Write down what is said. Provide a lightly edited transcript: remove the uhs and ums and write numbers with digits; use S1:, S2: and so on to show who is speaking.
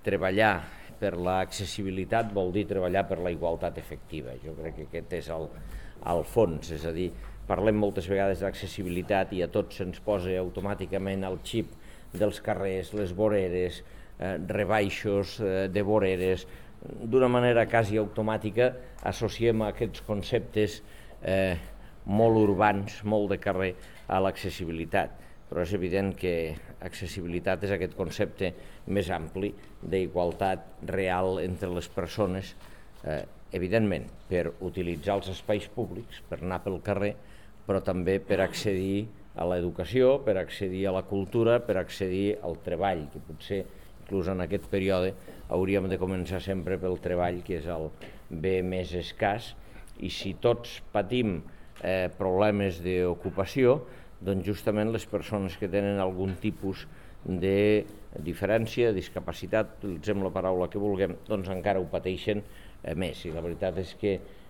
S1: treballar per l'accessibilitat vol dir treballar per la igualtat efectiva. Jo crec que aquest és el fons, és a dir, parlem moltes vegades d'accessibilitat i a tots se'ns posa automàticament el xip dels carrers, les voreres, rebaixos de voreres. D'una manera quasi automàtica associem aquests conceptes molt urbans, molt de carrer, a l'accessibilitat. Però és evident que accessibilitat és aquest concepte més ampli d'igualtat real entre les persones, evidentment per utilitzar els espais públics, per anar pel carrer, però també per accedir a l'educació, per accedir a la cultura, per accedir al treball, que potser inclús en aquest període hauríem de començar sempre pel treball, que és el bé més escàs, i si tots patim problemes d'ocupació, doncs justament les persones que tenen algun tipus de diferència, discapacitat, utilitzem la paraula que vulguem, doncs encara ho pateixen més. I la veritat és que